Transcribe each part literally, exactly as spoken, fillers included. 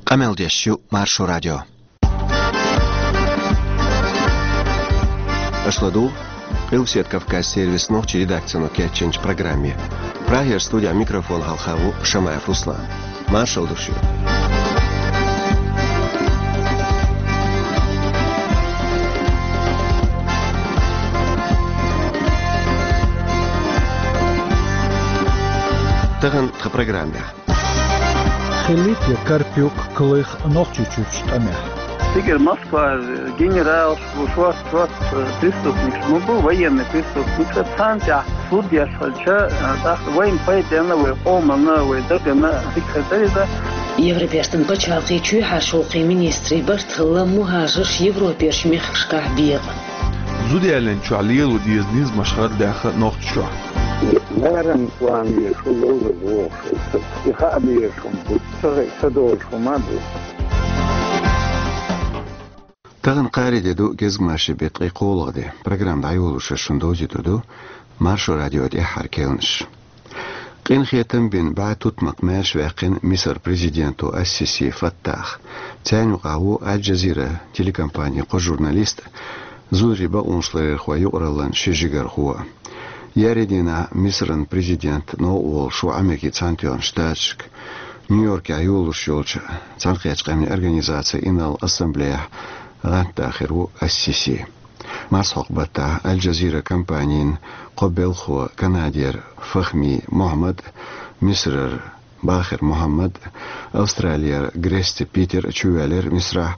Къамел деш ю Маршо радио. Аша ладугӀу Къилбаседа Кавказ сервисан нохчийн редакцино кечйинчу программе. Прагера студехь микрофона хьалха ву Шамаев Руслан. Маршалла ду шуьга. Тахана тхан программехь. Хилийта Карпюк, Клых Нохчийчуьрчу тӀамехь. Цигара Москва генералш бу, шорта, шорта преступникаш ма бу, военный преступникаш, царна тӀехь суд еш хилча, тӀаккха вайна пайденна, вай къоманна, вай дагана дика хир дара иза. Европертан пачхьалкхийн чоьхьарчу гӀуллакхийн министрийн барт хилла мухӀажарш Европерчу мехкашкахь бекъа. Зуда ялийначохь лело деза низамаш хӀара даьхна Нохчийчохь. Ларам ван везаш ву, ловзар вохуш ву. И хаа безаш хӀума бу, ца хи-, ца долуш хӀума а бу. Тахана кхаарин де ду, кӀезиг-маршо бен ткъе кхоалгӀа де. Программа дӀайолош шуна довзуьйтур ду Маршо радион тӀаьххьара керланаш. Къинхетам бина бӀе тутмакх маьрша ваьккхина Мисар президенто Ас-Сиси Фаттахь. Царна юкъахь ву Аль-Джазира телекомпанин кхо журналист, зударий бакъонашларъярхойн юкъараллин ши жигархо. Еарин дийнахь Мисаран президент новкъа волуш ву Америкин Цхьаьнатоьхначу Штаташка. Нью-Йоркехь йолуш йолчу Цхьаьнакхеттачу Къаьмнийн Организацин Инарла Ассамблеяхь гӀантда хир ву Ас-Сиси. Марсхьокху баттахь Аль-Джазира компанин кхо белхахо, канадера Фахми Мухьаммад, Мисарара Бахир Мухьаммад, Австралера Грести Питер чувоьллира Мисарахь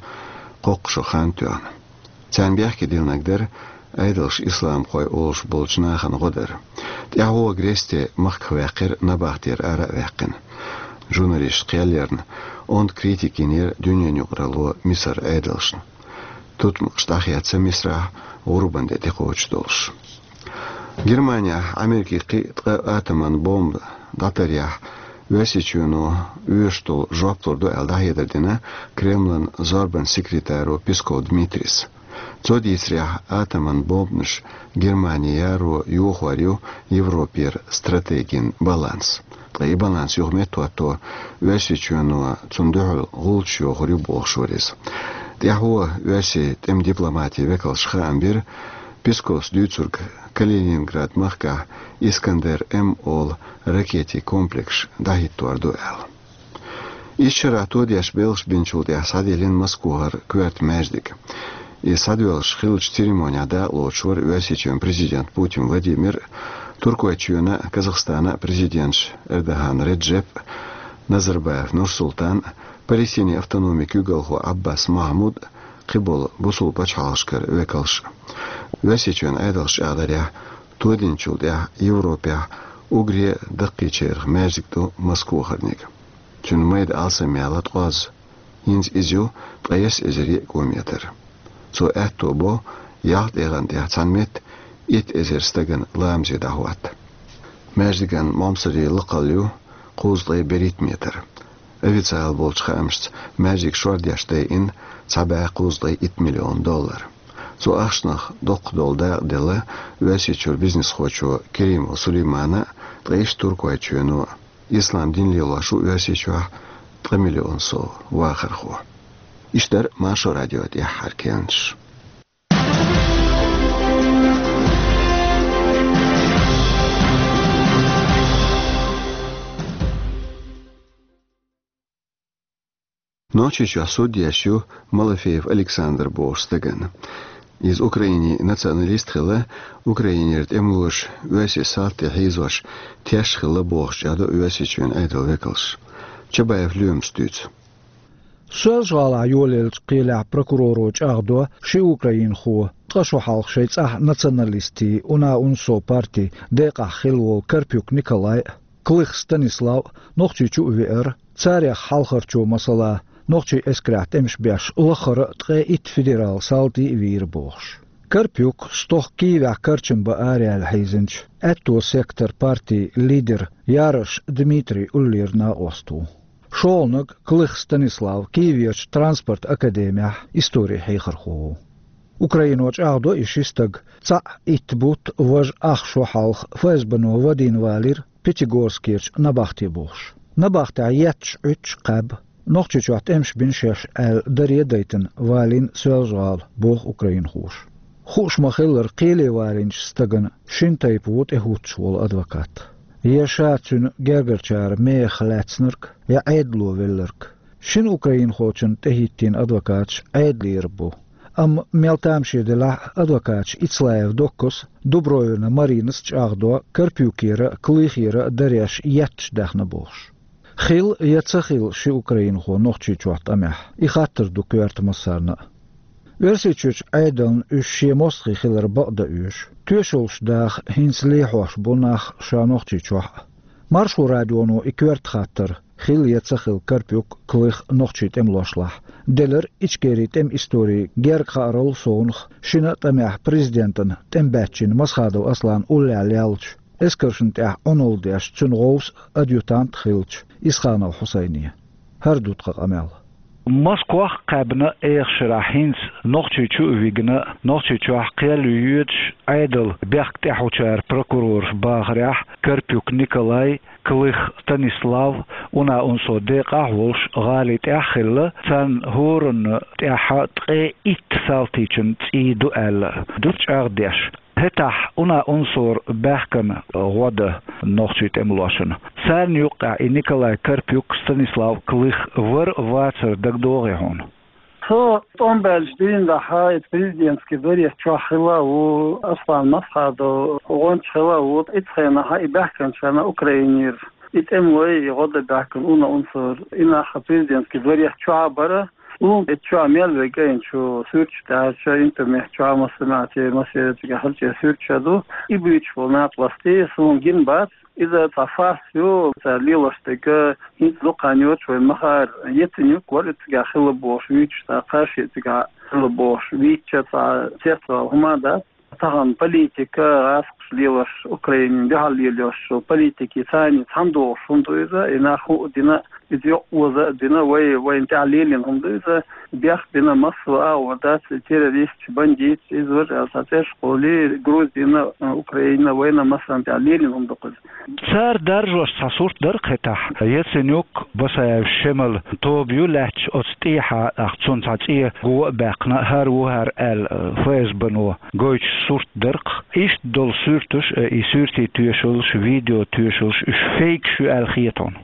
кхоккхуш хан тоьхна. Царна бехке диллинарг дара Ӏедалш исламхой олуш болчу нахана гӀо дар. ТӀаьхьо Грести махках ваьккхира, набахтера ара а ваьккхина. Журналисташна кхел ярна, онда критика йинера дуьненан юкъаралло Мисаран Ӏедалшна. Тутмакхаш дӀахецна Мисарахь гӀурбан де тӀекхочуш долуш. Германехь Америкин кхин а ткъа атоман бомба дӀатаръярехь, Оьрсийчоьно оьшуш долу жоп лур ду аьлла дӀахьедар дина Кремлан зорбанан секретаро Песков Дмитрийс. Цо дийцарехь, атоман бомбанаш Германе яро йохор ю Европера стратегин баланс. Ткъа и баланс юха меттахӀотто, Оьрсийчоьно цунна дуьхьал гӀулчаш йохур ю бохуш вара иза. ТӀаьхьо Оьрсийн тӀеман дипломатин векалша хаам бира, Песковс дуьйцург, Калининград махкахь Искандер-М олу ракетийн комплекс дӀахӀиттор ду аьлла. Исс шарахь тодеш белхаш бинчул тӀаьхьа схьадиллина Москвахара коьрта маьждиг. И схьадоьлхуш хиллачу церемонехь дакъалоцуш вара Оьрсийчоьнан президент Путин Владимир, Туркойчоьнан а, Казахстанан а президенташ Эрдоган Реджеп, Назарбаев Нурсултан, Палестинан автономин куьйгалхо Ӏаббас Махьмуд, кхиболу бусулба пачхьалкхашкара векалш. Оьрсийчоьнан Ӏедалша чӀагӀдарехь, тодинчул тӀаьхьа Европехь уггаре а даккхийчарах маьждиг ду Москвахарниг. Цуьнан майда алсамъяла ткъоз. ХӀинца иза ю ткъайесна эзар йиъ километр. Цо аьтто бо ялх тӀегӀан тӀехь цхьана метта итт эзар стагана ламазе дӀахӀотта. Маьждиган момсарийн лакхалла ю кхузткъе берхӀитта метр. Официалан болчу хаамашца, маьждиг шордеш дайина цхьа бӀе кхузткъе итт миллион доллар. Цу ахчанах доккха долу дакъа делла Оьрсийчуьра бизнесхочо Керимов Сулеймана, ткъа иштта Туркойчоьно. Ислам дин лелош ву Оьрсийчохь ткъа миллион сов вахархо. Иштта дара Маршо радион тӀаьххьара керланаш. Нохчийчохь суд еш ю Малафеев Александр бохучу стагана. Иза Украинин националист хилла, Украинера тӀемалоша Оьрсийн салт тӀе хьийзош теш хилла бохуш чӀагӀдо Оьрсийчоьнан Ӏедалан векалша. Чабаев Лоьмас дуьйцу. Соьлжа-ГӀалахь йолаеллачу кхелехь прокуроро чӀагӀдо ши украинхо ткъа шо хьалха шайн цӀахь националистийн «Уна-УНСО» партин декъахь хилла волу Карпюк Николай а, Клых Станислав а Нохчийчу а веара, царех хьалхарчо, масала, нохчийн эскарехь тӀемаш беш лаххара а ткъе итт федералан салти а вийра бохуш. Карпюк стохка Киевехь карчам бан араяьлла хьийзинчу «Аьтто сектор» партин лидер Ярош Дмитрий уллера накъост ву. ШолгӀаниг Клых Станислав Киевехь транспорт академехь историн хьехархо ву. Украино чӀагӀдо и ши стаг цхьаъ итт бутт, важа ах шо хьалха ФСБ-но вадийна валийра Пятигорскерчу набахте бохуш. Набахтехь етташ Ӏуьттуш кхаьбна. Нохчийчохь тӀемаш бина шаьш аьлла даре а дайтина валийна Соьлжа-ГӀала, боху украинхоша. Хууш ма-хиллара, кхеле валийначу стагана шина тайпа ву тӀехӀуттуш волу адвокат. Я ша цуьнан гергарчара мехах лаьцнарг, я Ӏедало велларг. Шина украинхочунна тӀехӀиттийна адвокаташ Ӏедалера бу. Амма мел тамаше делахь а, адвокаташ Ицлаев Доккас, Дубровина Маринас чӀагӀдо Карпюкера а, Клыхера а дареш етташ даьхна бохуш. Хилла я ца хилла ши украинхо Нохчийчохь тӀамехь, и хаттар ду коьрта массарна а. Оьрсийчуьрчу Ӏедална уьш шен мостагӀий хилар бакъдан оьшу. Тоьшаллаш даха хӀинца лехьош бу нах ша Нохчийчохь а. Маршо радионо и коьрта хаттар, хилла я ца хилла Карпюк, Клых нохчийн тӀемалошлахь, делира Ичкерин тӀеман историн герга хааралла совнаха, шина а тӀамехь президентана тӀемабаьччина Масхадов Асланан уллехь леллачу, эскаршна тӀехь Ӏуналла деш цуьнан гӀовса а, адъютант а хиллачу Исханов Хьусайне. ХӀара ду тхан къамел. Москох а кхаьбна, эха шарахь хӀинца Нохчийчу а вигна, Нохчийчохь кхел ю йоьдуш Ӏедалан бехк тӀехьучара прокурорша бахарехь, Карпюк Николай, Клых Станислав уна-унсо декъахь а волуш гӀали тӀехь а хилла, царна хӀоранна тӀехь ткъе итт салтичун цӀий ду аьлла, ду чӀагӀдеш. ХӀетахь уна-унсора баьхкина гӀо дан нохчийн тӀемалошна. Царна юккъехь и Николай Карпюк, Станислав Клых вар а, вацар а дагадогӀий хьуна? Со тӀом баьллачу дийнахь, и президентский дворец чохь хилла а ву, Аслан Масхадов гӀонча хилла а ву, и цу хенахь и баьхкинчарна Украинера и тӀемалой, и гӀо дан баьхкина уна-унсора, и нах президентский дворец чохь а бара. Суна и чохь мел вега, и чу суьрташ даьлча, интернет чохь массамехь, массеран цигахь хьалче суьрташ а ду. И буьйцуш болу накъостий суна гина бац. Иза цхьа фарс ю, цара лелош дерг, хӀинца дукха хан йоцуш вайн махара ецинюк вара и цигахь хилла бохуш вуьйцуш, цхьа кхаш а цигахь хилла бохуш вуьйцуш, цхьа цецвала хӀума дац. Тахана политика, гӀазкхаша лелош, Украинина дуьхьал лелош йолу политикин цхьаьна цхьаьна догӀуш хӀума ду иза, и нах хӀуъа дина, иза йоккха оза а дина, вай, вайна тӀехь лелийна хӀума ду иза, бехк бина массо а агӀор дац, и террористаш, бандиташ, иза вара аьлла, цхьа цӀераш кхоьллий, Грузина, Украина, вайна массарна тӀехь лелийна хӀума ду-кх иза. Цара даржош цхьа сурт дара-кх хӀетахь, Яценюк, Басаев Шемал тоба ю лаьтташ оцу тӀехьа, тӀаккха цунна цхьа цӀе го а баьккхина, хӀара ву хӀара аьлла, ФСБ-но гойтуш сурт дара-кх. Иштта долу суьрташ а, и суьртийн тоьшаллаш, видео тоьшаллаш, уьш фейкаш ю аьлла хета хьуна?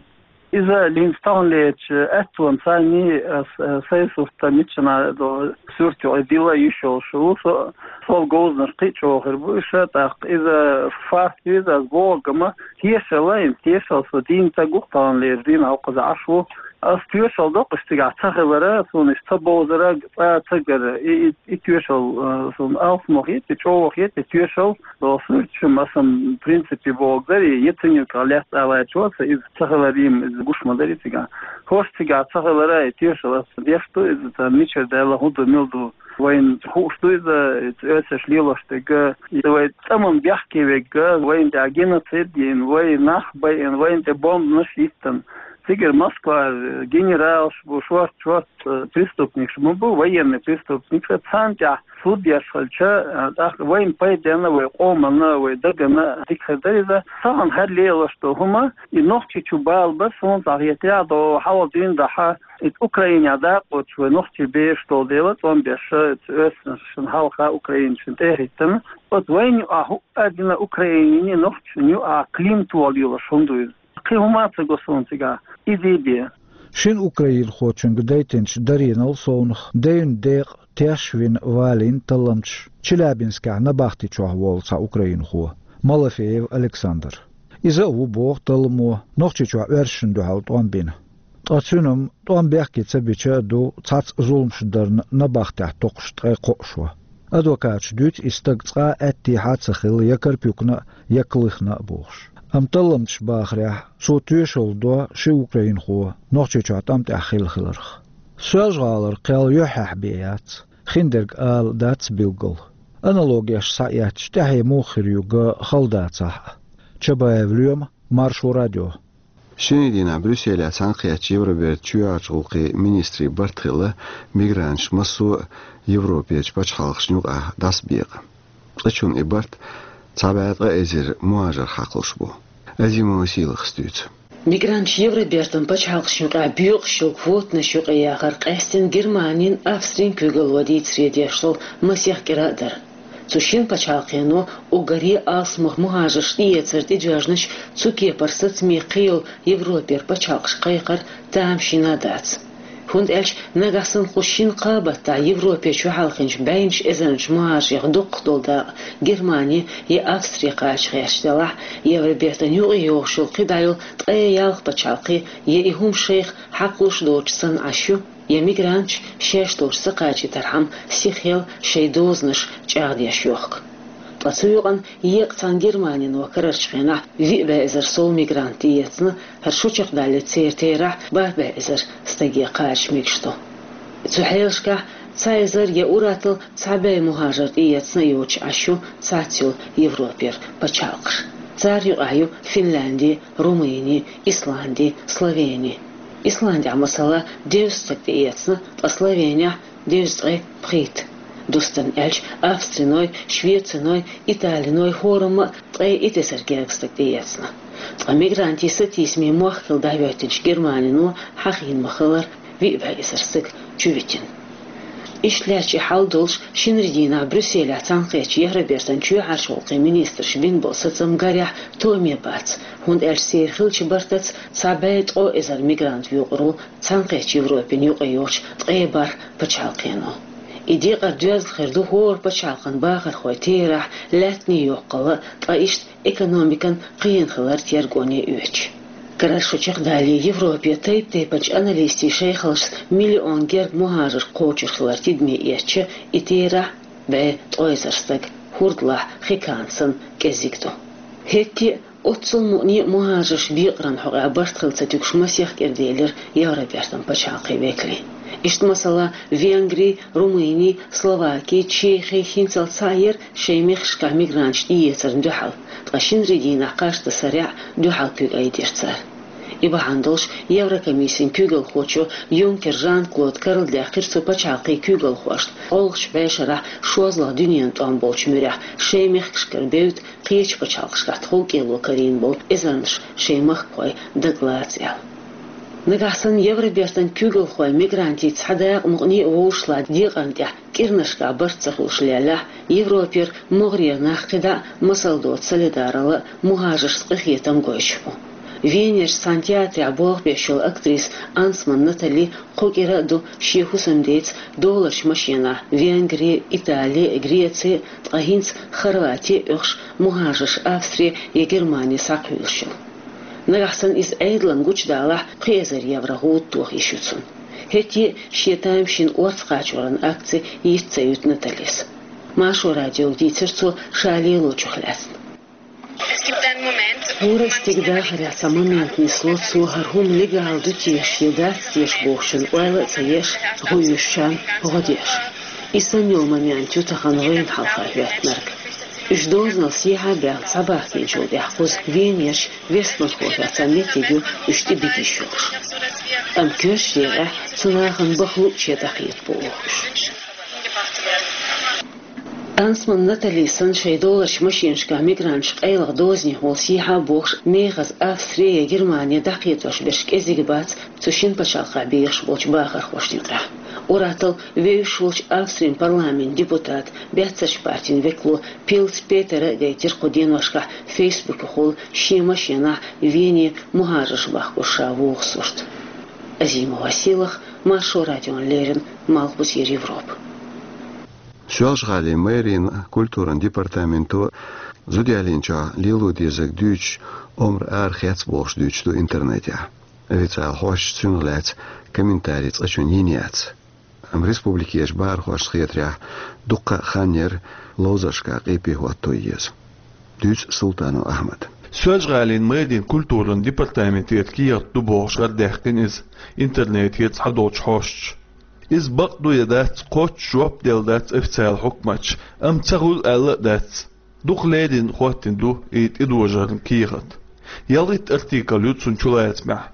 Иза линца таханлерчу аьттонца царний, ас, сайн сурт миччана долу суьрт ю, дила йиш йолуш ву, со, сол говзанаш кхин а чӀогӀа хир бу уьш, тӀаккха иза факт ю, иза ас бохург ма, тешал а, тешал со дийна ца гух таханлерчу дийнахь хӀокхуза Ӏаш ву. Ас тоьшалла доккхуш цигахь ца хилара, суна иштта ца бовзара, цкъа а ца гара. И, и, и тоьшалла, э, суна алсамо хета, и чӀогӀа хета, и тоьшалла, долу суьрташ ма сан принципе бохург дара, и Яценюках лаьцна алайчо, аса иза ца хилар, иза гуш ма дарий цигахь. ХӀорш цигахь ца хилара, и тоьшалла ас деш ду, иза царна мичара даьлла, хӀун ду, мила ду. Вайна хууш ду иза, иза оьрсаша лелош дерг, иза вай цӀа ма бехке верг, вайна тӀехь геноцид йина, вай нах байина, вайна тӀе бомбанаш йиттина. Цигара Москвара генералаш бу, шорта-шорта, э, преступникаш ма бу, военный преступникаш, царна тӀехь суд еш хилча, э, тӀаккха вайна пайденна, вай къоманна, вай дагана дика хир дара иза. Тахана хӀара лелош долу хӀума, и Нохчийчу бала бара, суна цхьа хетарехь, долу хьалха дийнахь, и Украинехь дакъоцуш вай нохчий бераш долу дела, тӀом беш, оьрсашна хьалха Украинашна тӀе а хӀиттина. Оцу вайна юкъахь хӀуъа а дина, Украинина, нохчашна юкъахь клин тоха лелош хӀума ду иза. Кхин хӀума а ца го суна цигахь. Изий бен. Шина украинхочуьнга дайтинчу даринал совнаха девнан декъа теш а вина валийна талламчаш Челябинскехь набахти чохь волу цхьа украинхо, Малафеев Александр. Иза а ву, боху талламо, Нохчийчохь оьрсашна дуьхьал тӀом бина. Ткъа цуьнан тӀом бехке ца бича а ду цхьацца зуламаш дарна набахтехь токхуш ткъе кхоъ шо. Адвокаташа дуьйцу и стаг цкъа а аьттехьа а ца хилла я Карпюкна а, я Клыхна а бохуш. Амма талламчаша бахарехь, цо тоьшалла до ши украинхо Нохчийчохь тӀам тӀехь хилла хиларх. Соьлжа-ГӀалара кхел юьххьехь бен яц, хиндерг ала дац билггал. Аналогеш схьаэцча, тӀаьхье муха хир ю ган хала дацахь а. Чабаев Лоьма, Маршо радио. Шинарин дийнахь Брюсселехь цхьаьнакхеттачу Евробертан чоьхьарчу гӀуллакхийн министрийн барт хилла мигранташ массо а Европерчу пачхьалкхашна юкъахь дӀасабекъа. Цкъачунна и барт цхьа бӀе ткъа эзар мухӀажар хьакхалуш бу. Азимова Сийлахас дуьйцу. Мигранташ Евробертан пачхьалкхашна юкъахь боькъуш йолу квотанаш юкъа яхар къаьстина Германин, Австрин куьйгалло дийцаре деш долу масех кӀира а дара. Цу шина пачхьалкхено уггаре алсамох мухӀажарш тӀеэцар тӀедоьжначу цу кепара сацаме кхин йолу Европера пачхьалкхаш кхайкхар тамашийна а дац. ХӀунда аьлча нагахь санна кху шина кхаа баттахь Европе чухьалхинчу бӀеннаш эзарнаш мухӀажарех дукхах долу дакъа Германи я Австри кхача гӀерташ делахь, Евробертан юкъа йогӀуш йолу кхидӀа йолу ткъе ялх пачхьалкх я и хӀума шайх хьакхалуш доцуш санна Ӏаш ю, я мигранташ шаьш долчу ца кхачийтархьама сихъел шайн дозанаш чӀагӀдеш йохку. Ткъа цу юкъана еккъа цхьана Германино карарчу хенахь виъ бӀе эзар сов мигрант тӀеэцна, хӀара шо чекхдаллалц церан терахь бархӀ бӀе эзар стаге кхача мегаш ду. Цу хьелашкахь цхьа эзар я ур-атталла цхьа бӀе мухӀажар тӀеэцна а йоцуш Ӏаш ю цхьацца йолу Европера пачхьалкхаш. Царна юкъахь ю Финлянди, Румыни, Исланди, Словени. Исландехь, масала, дезткъа стаг тӀеэцна, ткъа Словенехь дезткъе пхийтта. Дустан аьлча, Австриной, Швециной, Италиной хӀораммо а ткъе итт эзар гергга стаг тӀеэцна. Ткъа мигрантийн сатийсаме мохк хилла дӀахӀоьттинчу Германино хьахийна ма-хиллара виъ бӀе эзар стаг чувитина. Иштта лаьтташ и хьал долуш, шинарин дийнахь Брюсселехь цхьаьнакхеттачу Евробертан чоьхьарчу гӀуллакхийн министраша бина болу сацам, гарехь, тоаме бац, хӀунда аьлча церан хиллачу бартаца цхьа бӀе ткъо эзар мигрант вуьйцур ву Цхьаьнакхеттачу Европин юкъа йолчу ткъе бархӀ пачхьалкхено. И декъар доьзна хир ду хӀора пачхьалкхан бахархойн терахь, лаьттан йоккхалла, ткъа иштта экономикан кхиъна хилар тергоне оьцуш. Карара шо чекхдалале, Европе тайп-тайпанчу аналистийн шайхаллашца миллион гергга мухӀажар кхочур хилар тидаме эцча, и терахь бӀе ткъе эзар стаг, хӀордалахь хи кхана санна кӀезиг ду. ХӀетте а оццул мукъане а мухӀажарш бекъаран хьокъехь барт хила ца туьгуш масех кӀира делира Евробертан пачхьалкхийн векалийн. Иштта, масала, Венгри, Румыни, Словаки, Чехи хӀинццалц схьа а яра шайн мехкашкахь мигранташ тӀеэцарна дуьхьал, ткъа шинарин дийнахь кхаж тасарехь дуьхьал куьг айдира цара. И бахьана долуш Еврокомиссин куьйгалхочо Юнкер Жан-Клода карладаьккхира цу пачхьалкхийн куьйгалхошна, гӀуллакхчу бӀешарахь шозлагӀа дуьненан тӀом болчу муьрехь шайн мехкашкара бевдда кхечу пачхьалкхашкахь тховкӀело карийна болу эзарнаш шайн махкахой дагалаца аьлла. Нагахь санна Евробертан куьйгалхой мигрантийн цхьа дакъа мукъане а вовшашлахь декъарна тӀехь кӀиранашкахь барт ца хуьлуш леллехь, Европера могӀарера нах кхидӀа а масал доцу солидаралла а, мухӀажаршца къинхетам а гойтуш бу. Венерчу цхьана театрехь болх беш йолу актриса Ансман Натали кхо кӀира а ду шен хӀусамдеца доларчу машенахь Венгри, Итали, Греци, ткъа хӀинца Хорвати а оьхуш, мухӀажарш Австри я Германи схьакхуьйлуш йолу. Нагахь санна иза Ӏедална гучудалахь, пхи эзар евро гӀуда тоха йиш ю цунна. ХӀетте а шен тамашийна орца кхачоран акци йиц ца юьту Наталис. Маршо радиога дийцира цо ша лелочух лаьцна. ХӀора стеган дахарехь цхьа момент нисло цо, хӀара хӀума легал ду теша я дац теша бохучун ойла а ца еш, гӀуьйсучарна гӀо деш. И санна йолу момент ю тахана вайна хьалха хӀоьттинарг. Уьш дозанал сехьа а баьхна схьабахкийначул тӀаьхьа кхуза Венерчу Вестбанхофехь цхьа меттиг ю уьш тӀебита йиш йолуш. Амма коьртачу декъехь цу нахана бахлу а чедакхета боху уьш. Ансман Натали санна шайн доларчу машенашкахь мигранташ къайлаха дозанехула сехьа а бохуш, мехаза Австри я Германи дӀакхетош берш кӀезиг бац цу шина пачхьалкхехь бехаш болчу бахархошна юкъахь. Ур-атталла вевзаш волчу Австрин парламентан депутата, баьццарчу партин векало Пилц Петера а гайтира кху деношкахь Фейсбукехула шен машенахь Вене мухӀажарш бахкош ша вогӀу сурт. Азимова Сийлаха, Маршо радиона леррина, Малхбузера Европа. Соьлжа-ГӀалин мэрин культуран департаменто зуда ялийначохь лело дезарг дуьйцуш омра арахецна бохуш дуьйцуш ду интернетехь. Официалан хьосташа цунах лаьцна комментарий цкъачунна йина яц. Амма республикерчу бахархошна хетарехь, дуккха а хан яра ловзаршкахь къепе хӀотто еза. Дуьйцу Султанов Ахьмада. Соьлжа-ГӀалин мэрин культуран департаментера кехат ду бохуш гӀарадаьккхина иза интернетера цхьадолчу хьосташа. Иза бакъ ду я дац кхоччуш жоп делла дац официалан хьукматаша, амма ца хуьлу аьлла а дац. Дукха леррина хӀоттийна ду и тӀедожаран кехат. ЯлхиттӀ артикл ю цунна чулацамехь.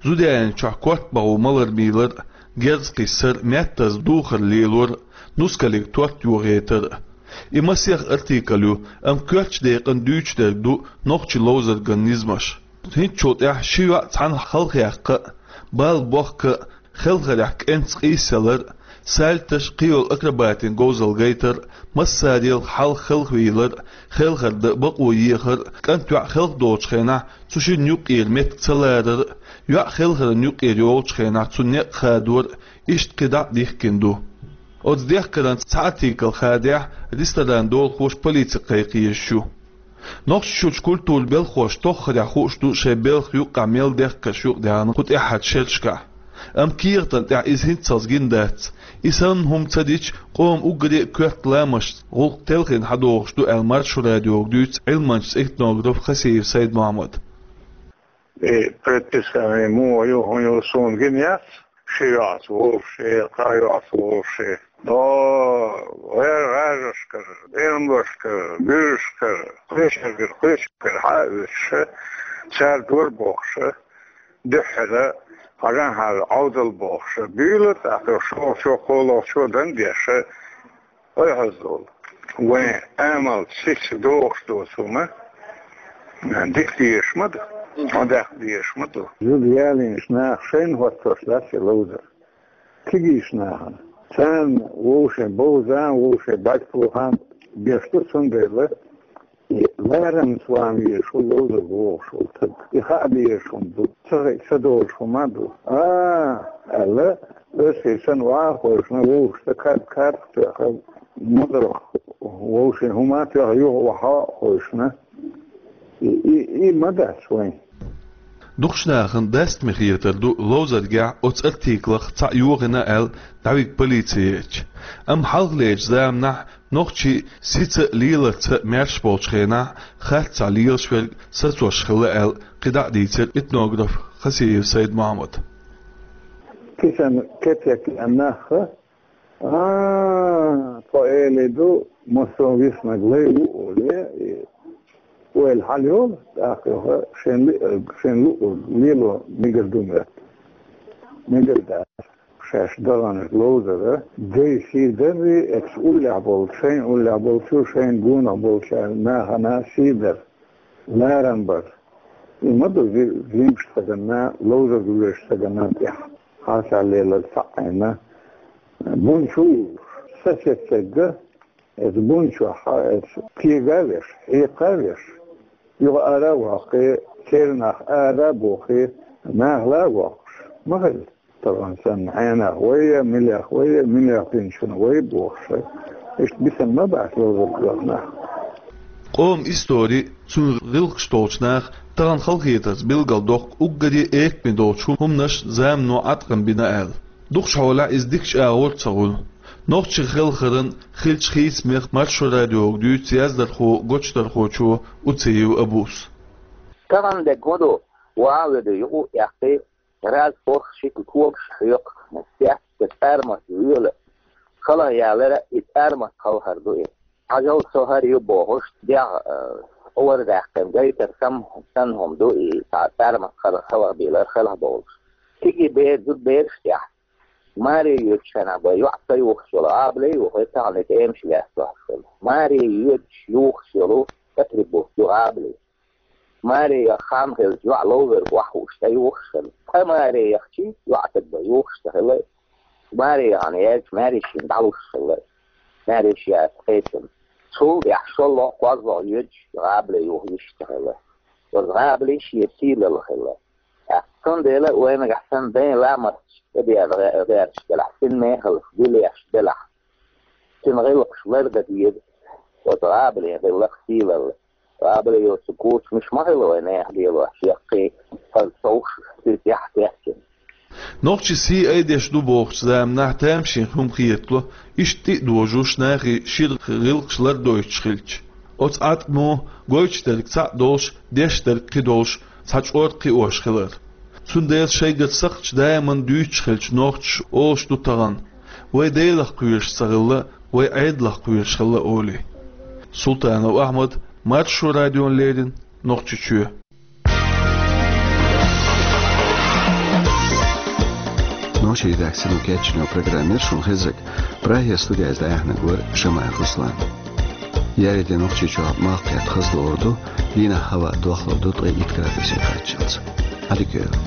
Зуда ялийначохь корта бахо малар-мийлар а, герз кхиссар а, маьттаза духар лелор а, нускалиг торт йохийтар а. И масех артикл ю, амма коьртачу декъана дуьйцуш дерг ду нохчийн ловзарган низамаш. ХӀинцачул тӀаьхьа ши йоӀ цхьаьна халахьекха а, бала бохка а, хелхарехь кӀентаца къийсалар а, сальташ, кхийолу акробатийн говзалла гайтар а, массарел хьалха хелхавийлар а, хелхар дан бакъо ехар а, кӀант-йоӀ хелха долчу хенахь цу шинна юккъера меттиг ца ларар а, йоӀ хелхаран юккъера йолчу хенахь цунна некъ хадор а, иштта кхин дӀа а дихкина ду. Оцу дехкаран цхьа артикл хадехь, ресторан долахоша полици кхайкха езаш ю. Нохчийчуьрчу культуран белхахоша тоххарехь хууш ду шайн белхан юккъехь мел дехкарш юкъадаьхна кху тӀаьххьарчу шерашкахь. Амма кехатан тӀехь иза хӀинццалц гина дац. И санна хӀума ца дича, къоман уггаре а коьрта ламасташца гӀуллакх телхина хьадогӀуш ду аьлла, Маршо радиога дуьйцу Ӏилманчаца этнографа Хасиев Сайд-Мохьмада. И предписание муха ю, хӀун ю, суна гина яц. Ши йоӀца вовши, кхаа йоӀца вовши. Но гӀер-, гӀажашкара, эмлашкара, буьршкара, кхечуьнгара, кхечуьнгара хьа а оьцуш, цара дора бохуш, дуьххьара, хьажахьара, Ӏовдал бохуш, буьйлу тӀаккха шолгӀачо, кхоалгӀачо дан деш, Ой, хьажа долу. Вайн амал сица догӀуш доцу хӀума дика дезаш ма ду, хьо даккха дезаш ма ду. Зуда ялийначу наха шайна хӀоттош дац и ловзар. Кегийчу нахана. Царна вовшийн бовза а, вовшийн бӀаьрг тухьа а беш ду, цундела и ларамца ван везаш ву ловзар вогӀуш волу стаг. И хаа безаш хӀума ду, ца хи-, ца долуш хӀума а ду. А, аьлла, оьшший санна ван а хойшна, вовшашна кар-, карах тоьхна, мазарах вовшийн хӀума а тоьхна, юха ваха а хойшна. И, и, и ма дац вайн. Дукхачу нахана дастаме хетар ду ловзаргахь оцу артиклах цхьаъ йохийна аьлла, дӀавига полици еча. Амма хьалхалерчу заманахь нохчий сица а, леларца а маьрша болчу хенахь, харцахь лелаш верг сацош хилла аьлла, кхин дӀа а дийцира этнограф Хасиев Сайд-Мохьмада. Кисан кецек а нах, а, тхо элий ду, массо а виснаг лай ву олий, и ойла хьала йолу, тӀаккха юха шен ли-, шен луъург лело мегар ду моьтту. Мегар дац. Шаьш даханчу ловзара, дайн сий дарий, эцу уллехь болчу, шайн уллехь болчу, шайна гонах болчу нахана сий дар, ларам бар. И ма ду зи-, зимпаш стаганна, ловзарг вуьйш стаганна тӀехь. Хьалха лелар цхьаъ Ӏийна. Бун чу вуьйш, сацеццерга, эцу бун чохь, эцу кега а веш, хьекха а веш, юха ара а воккхий, церан нах ара а бохий, нахала а воккхуш, ма хилла. Тахана санна хьенех вай, милех вай, милех динчунах вай бохуш. Иштта бисина ма бац ловзарг лахнах. Къоман истори, цуьнан гӀиллакхаш толчу наха тахана халахетарца билгалдоккху уггаре а экаме долчу хӀуманаш замано Ӏаткъам бина аьлла. Дукхачу хьолехь иза дикачу агӀор а ца хуьлу. Нохчийн хелхаран хиллачу хийцамех Маршо радиога дуьйцу яздархо, гочдархочо Уциев Абус. Тахана дерг хӀун ду, ван а веду юкъа а эккхий, Раз похь шиъ когаш хьоькху, цецка цӀармат вуьйла. Халахъялара и цӀармат халхар ду и. Хьажал, со хӀара ю бохуш, дегӀ, э, къора даьккхина гайтар сам-, санна хӀума ду и, цхьа цӀармат хала-, халахбийлар хелхбовлуш. Цига и бер-, зуда бераш тӀехь. Маре йоьдучу хенахь бен йоӀ ца юхуш йолу, гӀабале а юхуш, тахана и тӀемаш лаьцна хилла. Маре йоьдуш юхуш йолу атрибут ю гӀабале. Маре яха хан хилча, йоӀ ловзарг охьахууш тӀе юхуш хилла. Ткъа маре яхчий, йоӀ стаг бен юхуш ца хилла. Маре яхана яьлча, маьршина дӀалуш хилла. Маьрша яц кхечун. Цул тӀаьхьа шолгӀа, кхозлагӀа йоьдуш гӀабале юха йиш ца хилла. Оцу гӀабалин шен сийлалла хилла. ТӀаккха цундела вай нагахь санна дайн ламасташ тӀедеана гӀе-, гӀерташ делахь, цуьнан мехаллаш гулъеш делахь, цуьнан гӀиллакхаш лардан деза. Оцу гӀабалин гӀиллакх, сийлалла. ГӀабале йоцу кучамаш ма хилла вайн нехан лелош, яккхий, хаза совгӀаташ, цуьнан тӀехь кечйина. Нохчий сий айдеш ду бохучу заманахь тамашийна хӀума хетало, иштта тӀе а дожуш, нахе шира гӀиллакхаш лардойтуш хилча. Оцу Ӏаткъамо гойтуш дерг цхьаъ долуш, деш дерг кхин долуш, цхьа чкъор кхиош хилар. Цундела шайгара сакхташ даиман дуьйцуш хилча, нохчаша олуш ду тахана: «Вай Делах кхоьруш ца хилла, вай Ӏедалах кхоьруш хилла», — олий. Султанов Ахьмад, Маршо радиона леррина, Нохчийчоь. Нохчийн редакцино кечйинчу программера шуна хезарг, Прагера студехь дӀаяьхьнарг вара Шамаев Руслан. Яйде Нохчийчохь малх кхетта хаза лорур ду, Дийнахьа хӀаваъ дохлур ду ткъе итт градусе кхаччалца. Ӏадика йойла.